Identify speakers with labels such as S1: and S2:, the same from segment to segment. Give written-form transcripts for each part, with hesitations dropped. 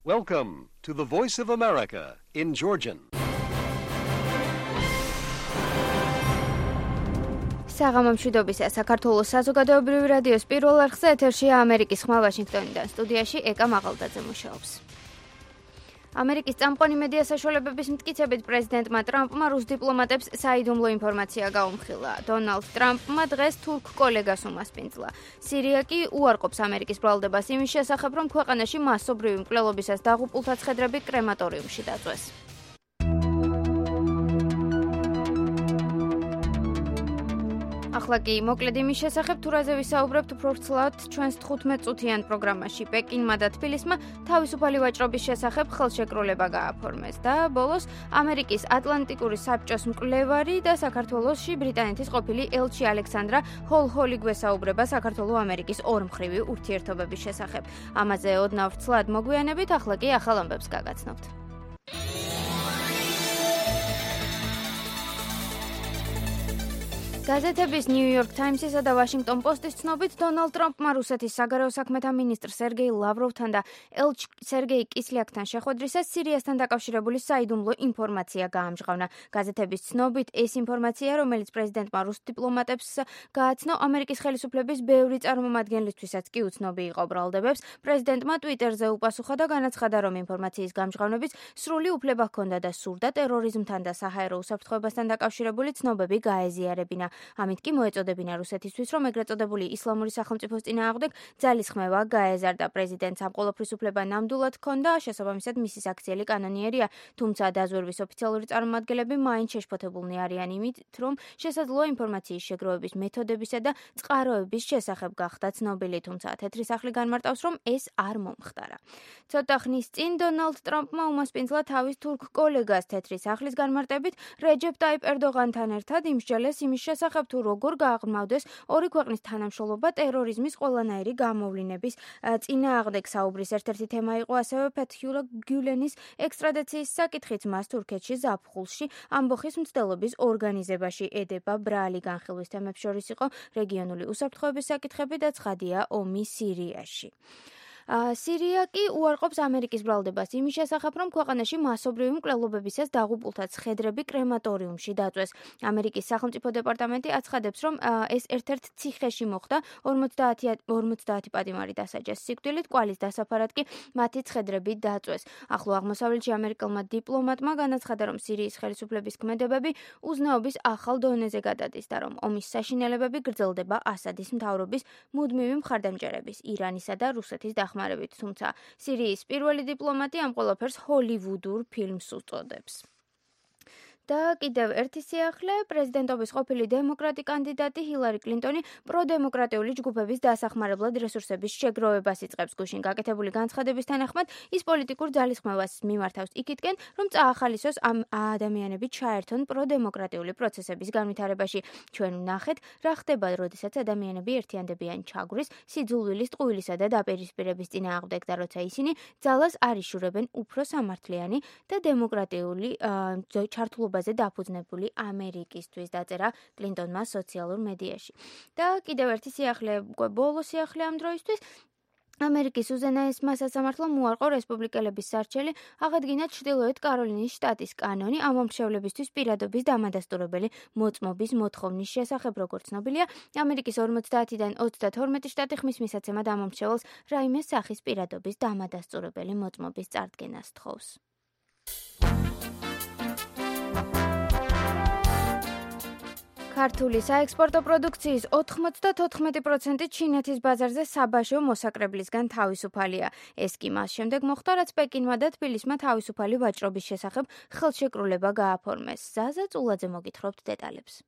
S1: Welcome to the Voice of America in Georgian.
S2: საღამომშვიდობისა საქართველოს საზოგადოებრივი რადიოს პირველ არხზე ეთერშია ამერიკის ხმა ვაშინგტონიდან. სტუდიაში ეკა მაღალდაძე მუშაობს. ამერიკის წამყვანი მედია საშუალებების მტკიცებით პრეზიდენტმა ტრამპმა რუს დიპლომატებს საიდუმლო ინფორმაცია გაუმხილა. დონალდ ტრამპმა დღეს თურქ კოლეგას უმასპინძლა. სირია კი უარყოფს ამერიკის ბრალდებას იმის შესახებ, რომ ქვეყანაში მასობრივი მკვლელობისას დაღუპულთა ცხედრები კრემატორიუმში დაწვეს. ახლა კი მოკლედ იმის შესახებ, თუ რაზე ვისაუბრებთ უფრო ვრცლად ჩვენს 15 წუთიან პროგრამაში. პეკინმა და თბილისმა თავისუფალი ვაჭრობის შესახებ ხელშეკრულება გააფორმეს და ბოლოს ამერიკის ატლანტიკური საბჭოს მკვლევარი და საქართველოში ბრიტანეთის ყოფილი ელჩი ალექსანდრა ჰოლჰოლი გვესაუბრება საქართველო-ამერიკის ორმხრივი ურთიერთობების შესახებ. ამაზე ოდნავ ვრცლად მოგვიანებით, ახლა კი ახალ ამბებს გაგაცნობთ. გაზეთების New York Times-ისა და Washington Post-ის ცნობით, დონალდ ტრამპმა რუსეთის საგარეო საქმეთა მინისტრ სერგეი ლავროვთან და ელჩ სერგეი კისლიაკთან შეხვედრისას სირიასთან დაკავშირებული საიდუმლო ინფორმაცია გაამჟღავნა. გაზეთების ცნობით, ეს ინფორმაცია, რომელიც პრეზიდენტმა რუს დიპლომატებს გააცნო, ამერიკის ხელისუფლების ბევრი წარმომადგენლისთვისაც კი უცნობი იყო ბრალდებებს, პრეზიდენტმა Twitter-ზე უპასუხა და განაცხადა, რომ ინფორმაციის გამჟღავნების სრული უფლება ჰქონდა და სურდა ტერორიზმთან და საჰაერო უსაფრთხოებასთან დაკავშირებული ცნობები გაეზიარებინა. ამით კი მოეწოდებინა რუსეთისთვის, რომ ეგრეთ წოდებული ისლამური სახელმწიფოს წინააღმდეგ ძალისხმევა გაეზარდა. პრეზიდენტს ამ ყოველფრის უფლება ნამდვილად ჰქონდა, შესაბამისად მისი საქციელი კანონიერია, თუმცა დაზვერვის ოფიციალური წარმომადგენლები მაინც შეშფოთებულნი არიან იმით, რომ შესაძლოა ინფორმაციის შეგროვების მეთოდებისა და წყაროების შესახებ გახდა ცნობილი, თუმცა თეთრი სახლი განმარტავს, რომ ეს არ მომხდარა. ცოტა ხნის წინ დონალდ ტრამპმა უმასპინძლა თავის თურქ კოლეგას თეთრი სახლის განმარტებით რეჯეპ ტაიპ ერდოღანთან ერთად იმსჯელეს იმის შესახებ, თუ როგორ გააღრმავდეს ორი ქვეყნის თანამშრომლობა ტერორიზმის ყველანაირი გამოვლინების წინააღმდეგ. საუბრის ერთ-ერთი თემა იყო ასევე ფეთჰიულა გულენის ექსტრადიციის საკითხიც. მას თურქეთში ზაფხულში ამბოხის მცდელობის ორგანიზებაში ედება. ბრალი განხილვის თემებს შორის იყო რეგიონული უსაფრთხოების საკითხები და ცხადია ომი სირიაში. სირია კი უარყოფს ამერიკის ბრალდებას იმის შესახებ, რომ ქვეყანაში მასობრივი მკვლელობებისას დაღუპულთა ცხედრები კრემატორიუმში დაწვეს. ამერიკის სახელმწიფო დეპარტამენტი აცხადებს, რომ ეს ერთ-ერთ ციხეში მოხდა, 50 პატიმარი დასაჯეს სიკვდილით, კვალის დასაფარად კი მათი ცხედრები დაწვეს. ახლო აღმოსავლეთში ამერიკელმა დიპლომატმა განაცხადა, რომ სირიის ხელისუფლების ქმედებები უზნეობის ახალ დონეზე გადადის და რომ ომის საშინელებები გრძელდება ასადის მთავრობის მუდმივი მხარდამჭერების, ირანისა და რუსეთის დახმარებით, თუმცა სირიის პირველი დიპლომატი ამ ყველაფერს ჰოლივუდურ ფილმს უწოდებს. და კიდევ ერთი სიახლე, პრეზიდენტობის ყოფილი დემოკრატი კანდიდატი ჰილარი კლინტონი პროდემოკრატიული ჯგუფების დასახმარებლად რესურსების შეგროვებას იწყებს. გუშინ გაკეთებული განცხადების თანახმად, ის პოლიტიკურ ძალისხმევას მიმართავს იქითკენ, რომ წაახალისოს ამ ადამიანები ჩაერთონ პროდემოკრატიული პროცესების განვითარებაში. ჩვენ ვნახეთ, რა ხდება, როდესაც ადამიანები ერთიანდებიან ჩაგვრის, სიძულვილის, ტყუილისა და დაპირისპირების წინააღმდეგ და როცა ისინი ძალას არ იშურებენ უფრო სამართლიანი და დემოკრატიული ჩართულობა დაფუძნებული ამერიკისთვის, დაწერა კლინტონმა სოციალურ მედიაში. და კიდევ ერთი სიახლე, ბოლო სიახლე ამ დროისთვის, ამერიკის უზენაესმა სასამართლომ უარყო რესპუბლიკელების სარჩელი აღადგინა ჩრდილოეთ კაროლინის შტატის კანონი ამომრჩევლებისთვის პირადობის დამადასტურებელი მოწმობის მოთხოვნის შესახებ. როგორც ცნობილია, ამერიკის 50-დან 32 შტატი ხმის მისაცემად ამომრჩეველს რაიმე სახის პირადობის დამადასტურებელი მოწმობის წარდგენას თხოვს. ქართული საექსპორტო პროდუქციის 94% ჩინეთის ბაზარზე საბაჟო მოსაკრებლისგან თავისუფალია. ეს კი მას შემდეგ მოხდა, რაც პეკინმა და თბილისმა თავისუფალი ვაჭრობის შესახებ ხელშეკრულება გააფორმეს. ზაზა წულაძე მოგითხრობთ დეტალებს.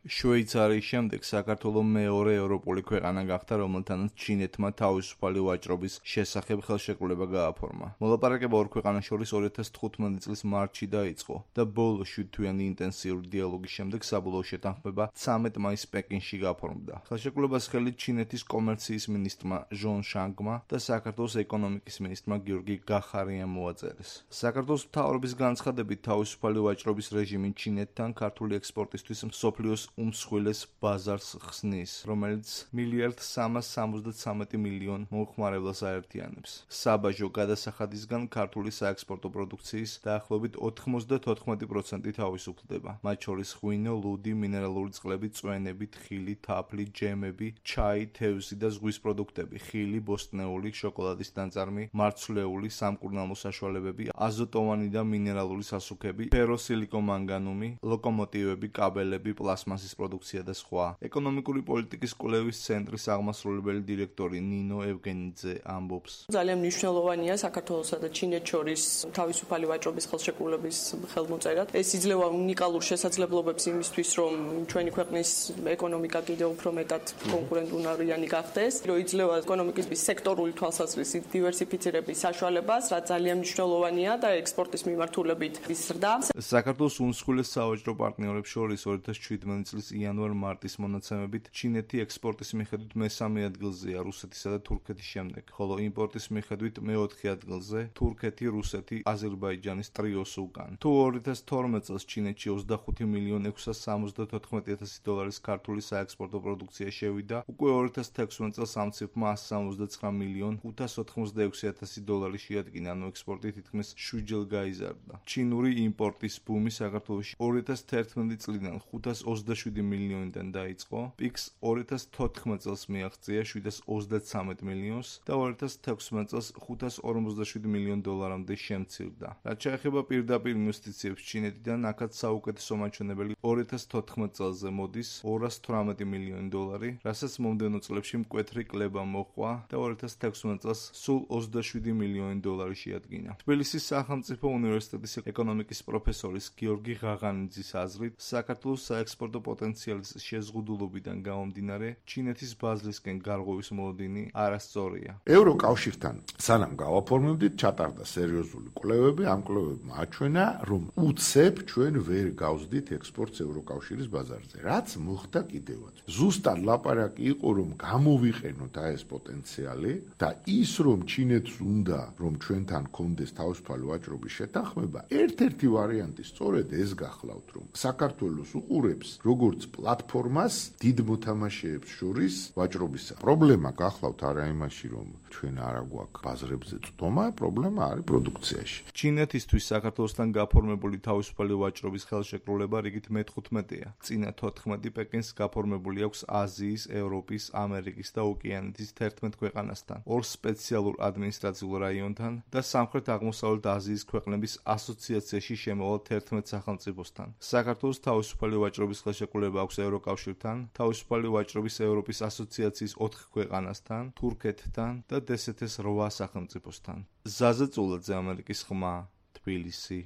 S3: შვეიცარიის შემდეგ საქართველოს მეორე ევროპული ქვეყანა გახდა, რომელთანაც ჩინეთმა თავისუფალი ვაჭრობის შესახებ ხელშეკრულება გააფორმა. მოლაპარაკება ორ ქვეყანას შორის 2015 წლის მარტში დაიწყო და ბოლო 7 თვიანი ინტენსიური დიალოგის შემდეგ საბოლოო შეთანხმება 13 მაისს პეკინში გაფორმდა. ხელშეკრულებას ხელი ჩინეთის კომერციის მინისტრმა ჟონ შანგმა და საქართველოს ეკონომიკის მინისტრმა გიორგი გახარიამ მოაწერეს. საქართველოს მთავრობის განცხადებით, თავისუფალი ვაჭრობის რეჟიმი ჩინეთთან ქართული ექსპორტისთვის მსოფლიოს უმსხვილეს ბაზარს ხსნის, რომელიც 1,373 მილიონ მომხმარებლას აერთიანებს. საბაჟო გადასახადისგან ქართული საექსპორტო პროდუქციის დაახლოებით 94% თავისუფლდება, მათ შორის ღვინო, ლუდი, მინერალური წყლები, წვენები, თხილი, თაფლი, ჯემები, ჩაი, თევზი და ზღვის პროდუქტები, ხილი, ბოსტნეული, შოკოლადის ნაწარმი, მარცვლეული, სამკურნალო საშუალებები, აზოტოვანი და მინერალური სასუქები, ფეროსილიკომანგანუმი, ლოკომოტივები, კაბელები, პლასმასის პროდუქცია და სხვა. ეკონომიკური პოლიტიკის კვლევის ცენტრის აღმასრულებელი დირექტორი ნინო ევგენიძე ამბობს.
S4: ძალიან მნიშვნელოვანია საქართველოსა და ჩინეთს შორის თავისუფალი ვაჭრობის ხელშეკრულების ხელმოწერა. ეს იძლევა უნიკალურ შესაძლებლობებს იმისთვის, რომ ჩვენი ქვეყნის ეკონომიკა კიდევ უფრო მეტად კონკურენტუნარიანი გახდეს, რომ იძლევა ეკონომიკის სექტორული თვალსაზრისით დივერსიფიცირების საშუალებას, რაც ძალიან მნიშვნელოვანია და ექსპორტის მიმართულებით იზრდა.
S3: საქართველოს უმსხვილეს სავაჭრო პარტნიორებს შორის 2017 წლის იანვარ-მარტის მონაცემებით ჩინეთი ექსპორტის მიხედვით მესამე ადგილზეა რუსეთისა და თურქეთის შემდეგ, ხოლო იმპორტის მიხედვით მეოთხე ადგილზე თურქეთი, რუსეთი, აზერბაიჯანის ტრიოს უკან. თუ 2012 წელს ჩინეთში 25,674,000 დოლარის ქართული საექსპორტო პროდუქცია შევიდა, უკვე 2016 წელს ამ ციფრმა 179,586,000 დოლარი შეადგინა, ანუ ექსპორტი თითქმის 7-ჯერ გაიზარდა. ჩინური იმპორტის ბუმი საქართველოში 2011 წლიდან 527 მილიონიდან დაიწყო, პიკს 2014 წელს მიაღწია 733 მილიონს და 2016 წელს 547 მილიონ დოლარამდე შემცირდა. რაც შეეხება პირდაპირ ინვესტიციებს ჩინეთიდან, აქაც საუკეთესო მაჩვენებელი 2014 წელზე მოდის 218 მილიონი დოლარი, რასაც მომდევნო წლებში მკვეთრი კლება მოჰყვა და 2016 წელს სულ 27 მილიონი დოლარი შეადგინა. თბილისის სახელმწიფო უნივერსიტეტის ეკონომიკის პროფესორის გიორგი ღაღანიძის აზრით, საქართველოს საექსპორტო პოტენციალის შეზღუდულობიდან გამომდინარე, ჩინეთის ბაზრისკენ გარღვევის მოლოდინი არასწორია.
S5: ევროკავშირთან სანამ გავაფორმებდით, ჩატარდა სერიოზული კვლევები, ამ კვლევებმა აჩვენა, რომ უცებ ჩვენ ვერ გავსდით ექსპორტს ევროკავშირის ბაზარზე. რაც მოხდა კიდევაც. ზუსტად ლაპარაკი იყო, რომ გამოვიყენოთ ეს პოტენციალი და ის, რომ ჩინეთს უნდა, რომ ჩვენთან კონდეს თავისუფალი ვაჭრობის შეთანხმება, ერთ-ერთი ვარიანტი სწორედ ეს გახლავთ, რომ საქართველოს უყურებს როგორც პლატფორმას დიდ მოთამაშეებს შორის ვაჭრობისა. პრობლემა გახლავთ არა იმაში, რომ ჩვენ არა გვაქვს ბაზრებზე წვდომა, პრობლემა არის პროდუქციაში.
S3: ჩინეთისთვის საქართველოსთან გაფორმებული თავისუფალი ვაჭრობის ხელშეკრულება რიგით მე-15-ია. წინა 14 პეკინს გაფორმებული აქვს აზიის, ევროპის, ამერიკის და ოკეანეთის 11 ქვეყანასთან, 2 სპეციალურ ადმინისტრაციულ რაიონთან და სამხრეთ-აღმოსავლეთ აზიის ქვეყნების ასოციაციაში შემოვალ 11 სახელმწიფოსთან. საქართველოს თავისუფალი ვაჭრობის ხელშეკრულება აქვს ევროკავშირთან, თავისუფალი ვაჭრობის ევროპის ასოციაციის 4 ქვეყანასთან, თურქეთთან და DST-ს 8 სახელმწიფოსთან. ზაზა წულაძე, ამერიკის ხმა, თბილისი.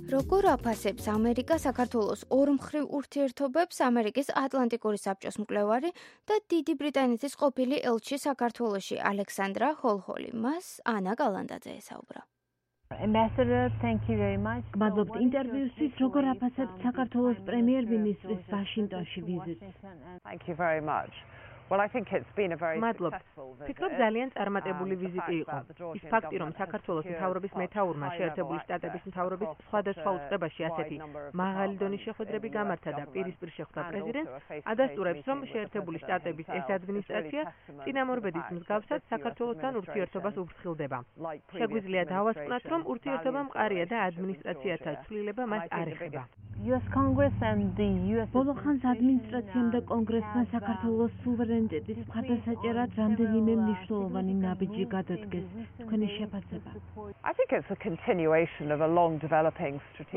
S2: როგორ აფასებს ამერიკა საქართველოს ორმხრივ ურთიერთობებს ამერიკის ატლანტიკური საბჭოს მკვლევარი და დიდი ბრიტანეთის ყოფილი ელჩი საქართველოში ალექსანდრა ჰოლჰოლი? მას ანა გალანდაძე ესაუბრა.
S6: გმადლობთ ინტერვიუსთვის. როგორ აფასებთ საქართველოს პრემიერ-მინისტრის ვაშინგტონში ვიზიტს?
S7: მადლობთ. ფიქრობ ძალიან წარმატებული ვიზიტი იყო. ის ფაქტი, რომ საქართველოს მთავრობის მეთაურმა შეერთებული შტატების მთავრობის სხვადასხვა უწყებაში ასეთი მაღალი დონის შეხვედრები გამართა და პირისპირ შეხვდა პრეზიდენტს, ადასტურებს, რომ შეერთებული შტატების ეს ადმინისტრაცია წინამორბედის მსგავსად საქართველოსთან ურთიერთობას უფრთხილდება. შეგვიძლია დავასკვნათ, რომ ურთიერთობა მყარია და ადმინისტრაციათა ცვლილება მას არ ეხება.
S6: ბოლო ხანს ადმინისტრაციამ და კონგრესმა საქართველოს სუვერენიტეტის მხარდასაჭერად რამდენიმე მნიშვნელოვანი ნაბიჯი გადადგეს. თქვენი შეფასება?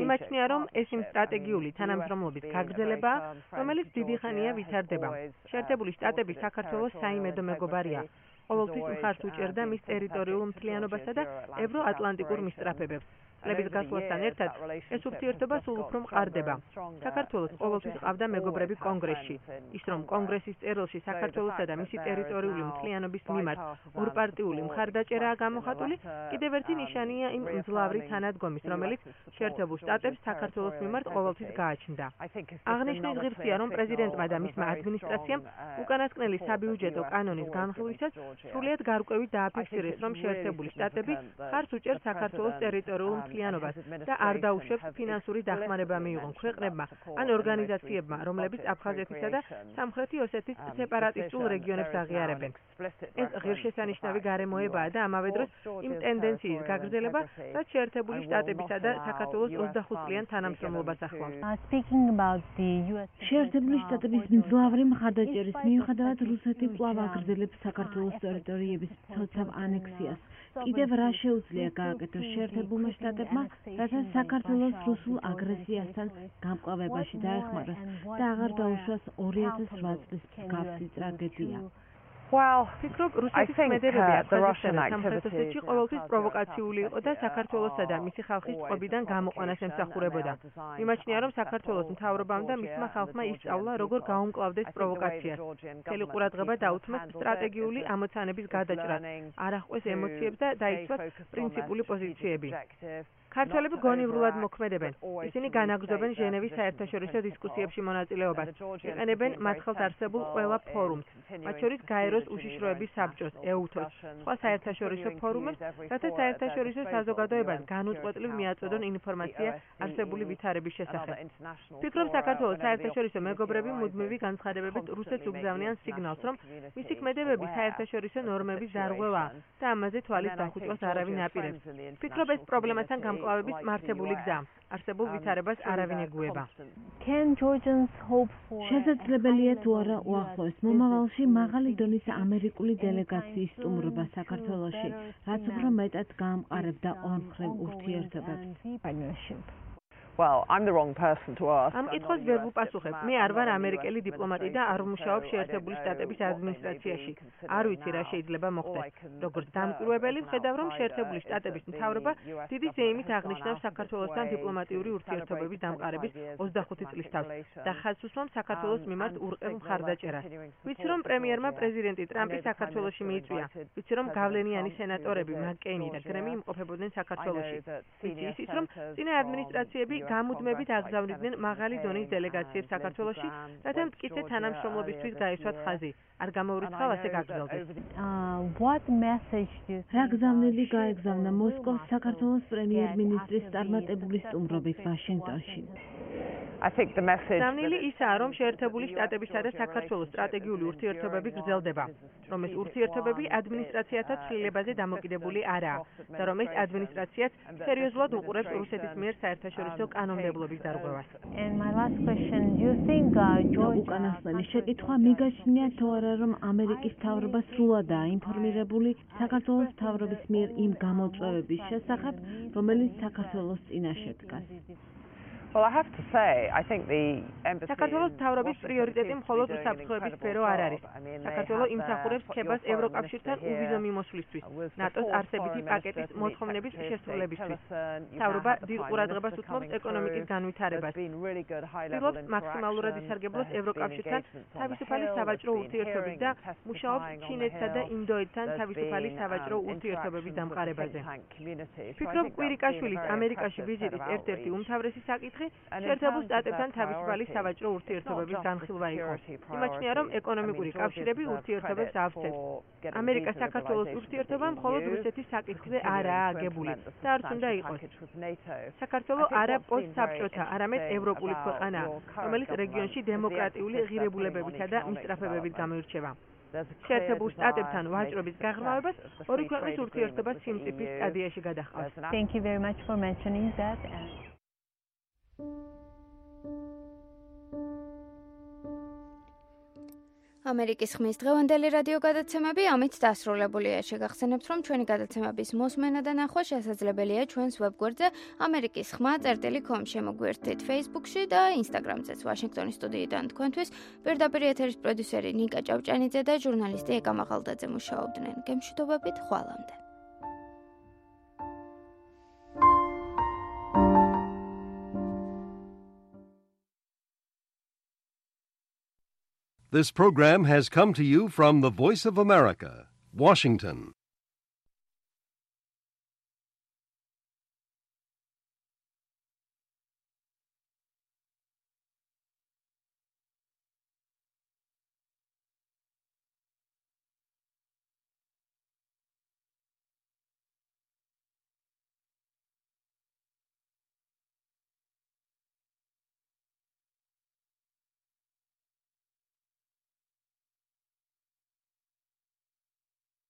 S7: იმაჩნია, რომ ეს იმ სტრატეგიული თანამშრომლობის გაგრძელებაა, რომელიც დიდი ხანია ვითარდება. შეერთებული შტატები საქართველოს საიმედო მეგობარია. ყოველთვის მხარს უჭერდა მის ტერიტორიულ მთლიანობასა და ევროატლანტიკურ მისწრაფებებს. წლების გასვლასთან ერთად ეს ურთიერთობა სულ უფრო მყარდება. საქართველოს ყოველთვის ყავდა მეგობრები კონგრესში. ის რომ კონგრესის წერილში საქართველოსა და მისი ტერიტორიული მთლიანობის მიმართ ორპარტიული მხარდაჭერაა გამოხატული, კიდევ ერთი ნიშანია იმ მძლავრი თანადგომის, რომელიც შეერთებულ შტატებს საქართველოს მიმართ ყოველთვის გააჩნდა. აღნიშნვის ღირსია, რომ პრეზიდენტმა და მისმა ადმინისტრაციამ უკანასკნელი საბიუჯეტო კანონის განხილვისას სრულიად გარკვევით დააფიქსირეს, რომ შეერთებული შტატები მხარს უჭერს საქართველოს ტერიტორიულ მთლიანობას და არ დაუშვებს ფინანსური დახმარება მიიღონ ქვეყნებმა ან ორგანიზაციებმა, რომლებიც აფხაზეთისა და სამხრეთი ოსეთის სეპარატისტულ რეგიონებს აღიარებენ. ეს ღირსშესანიშნავი გარემოებაა და ამავე დროს იმ ტენდენციის გაგრძელება, რაც შეერთებული შტატებისა და საქართველოს 25 წლიან თანამშრომლობას ახლავს.
S6: შეერთებული შტატების მძლავრი მხარდაჭერის მიუხედავად რუსეთი კვლავ აგრძელებს საქართველოს ტერიტორიების ცოცავ ანექსიას. კიდევ რა შეუძლია გააკეთოს შეერთებულმა შტატებმა, რათა საქართველოს რუსულ აგრესიასთან გამკლავებაში დაეხმაროს და აღარ დაუშვას 2008 წლის მსგავსი ტრაგედია.
S7: ფიქრობ, რუსეთის ქმედებები აფხაზეთსა და სამხრეთ ოსეთში ყოველთვის პროვოკაციული იყო და საქართველოსა და მისი ხალხის წყობიდან გამოყვანას ემსახურებოდა. მიმაჩნია, რომ საქართველოს მთავრობამ და მისმა ხალხმა ისწავლა, როგორ გაუმკლავდეს პროვოკაციას. მთელი ყურადღება დაუთმეს სტრატეგიული ამოცანების გადაჭრას, არ აღყვეს ემოციებს და დაიცვათ პრინციპული პოზიციები. ქართველები გონივრულად მოქმედებენ. ისინი განაგრძობენ ჟენევის საერთაშორისო დისკუსიებში მონაწილეობას. იყენებენ მათ ხელთ არსებულ ყველა ფორუმს, მათ შორის გაეროს უშიშროების საბჭოს, EUTOS, სხვა საერთაშორისო ფორუმებს, რათა საერთაშორისო საზოგადოებას განუწყვეტლივ მიაწოდონ ინფორმაცია არსებული ვითარების შესახებ. ფიქრობ, საქართველოს საერთაშორისო მეგობრები მუდმივი განცხადებებით რუსეთს უგზავნიან სიგნალს, რომ მისი ქმედებები საერთაშორისო ნორმების დარღვევაა და ამაზე თვალის დახუჭვას არავინ აპირებს. ფიქრობ, ეს პრობლემასთან გამკლავების მართებული გზა. არსებულ ვითარებას არავინ ეგუება.
S6: შესაძლებელია თუ არა უახლოეს მომავალში მაღალი დონის ამერიკული დელეგაციის სტუმრობა საქართველოში, რაც უფრო მეტად გაამყარებდა ორმხრივ ურთიერთობებს.
S7: ამ კითხვას ვერ ვუპასუხებ. მე არ ვარ ამერიკელი დიპლომატი და არ ვმუშაობ შეერთებული შტატების ადმინისტრაციაში. არ ვიცი რა შეიძლება მოხდეს. როგორც დამკვირვებელი ვხედავ, რომ შეერთებული შტატების მთავრობა დიდი ზეიმით აღნიშნავს საქართველოსთან დიპლომატიური ურთიერთობების დამყარების 25 წლის თავს და ხაზს უსვამს საქართველოს მიმართ ურყევ მხარდაჭერას. ვიცი, რომ პრემიერმა პრეზიდენტი ტრამპი საქართველოში მიიწვია. ვიცი, რომ გავლენიანი სენატორები მაკ-კეინი და გრემი იმყოფებოდნენ საქართველოში. ვიცი ისიც, რომ წინა ადმინისტრაციები გამუდმებით აგზავნიდნენ მაღალი დონის დელეგაციებს საქართველოში, რათა მტკიცე თანამშრომლობისთვის გაესვათ ხაზი. არ გამოურიცხავ ასე გაგრძელდეს.
S6: რა გზავნილი გაეგზავნა მოსკოვს საქართველოს პრემიერ-მინისტრის წარმატებული სტუმრობით ვაშინგტონში.
S7: გზავნილი ისაა, რომ შეერთებული შტატებისა და საქართველოს სტრატეგიული ურთიერთობები გრძელდება, რომ ეს ურთიერთობები ადმინისტრაციათა ცვლილებაზე დამოკიდებული არაა და რომ ეს ადმინისტრაციაც სერიოზულად უყურებს რუსეთის მიერ საერთაშორისო კანონმდებლობის დარღვევას.
S6: უკანასკნელი შეკითხვა მიგაჩნია თუ არა, რომ ამერიკის მთავრობა სრულადაა ინფორმირებული საქართველოს მთავრობის მიერ იმ გამოწვევების შესახებ, რომელიც საქართველოს წინაშე დგას.
S7: საქართველოს მთავრობის პრიორიტეტი მხოლოდ უსაფრთხოების სფერო არ არის. საქართველო იმსახურებს ქებას ევროკავშირთან უვიზო მიმოსვლისთვის, ნატოს არსებითი პაკეტის მოთხოვნების შესრულებისთვის. მთავრობა დიდ ყურადღებას უთმობს ეკონომიკის განვითარებას. ცდილობს მაქსიმალურად ისარგებლოს ევროკავშირთან თავისუფალი სავაჭრო ურთიერთობით და მუშაობს ჩინეთსა და ინდოეთთან თავისუფალი სავაჭრო ურთიერთობების დამყარებაზე. ფიქრობ, კვირიკაშვილის ამერიკაში ვიზიტის ერთ-ერთი უმთავრესი საკითხი შეერთებულ შტატებთან თავისუფალი სავაჭრო ურთიერთობების განხილვა იყო. იმაჩნია, რომ ეკონომიკური კავშირები ურთიერთობებს ავსებს. ამერიკა საქართველოს ურთიერთობა მხოლოდ რუსეთის საკითხზე არაა აგებული და არც უნდა იყოს. საქართველო არა პოსტსაბჭოთა, არამედ ევროპული ქვეყანაა, რომელიც რეგიონში დემოკრატიული ღირებულებებითა და მისწრაფებებით გამოირჩევა. შეერთებულ შტატებთან ვაჭრობის გაღრმავებას ორი ქვეყნის ურთიერთობა სიმწიფის სტადიაში გადაჰყავს.
S2: ამერიკის ხმის დღევანდელი რადიო გადაცემები ამით დასრულებულია. შეგახსენებთ, რომ ჩვენი გადაცემების მოსმენა და ნახვა შესაძლებელია ჩვენს ვებგვერდზე amerikisxma.com შემოგვიერთდეთ Facebook-ში და Instagram-ზეც. ვაშინგტონის სტუდიიდან თქვენთვის პირდაპირ ეთერის პროდიუსერი ნიკა ჭავჭანიძე და ჟურნალისტი ეკა მაღალდაძე მუშაობდნენ. გემშვიდობებით, ხვალამდე.
S1: This program has come to you from the Voice of America, Washington.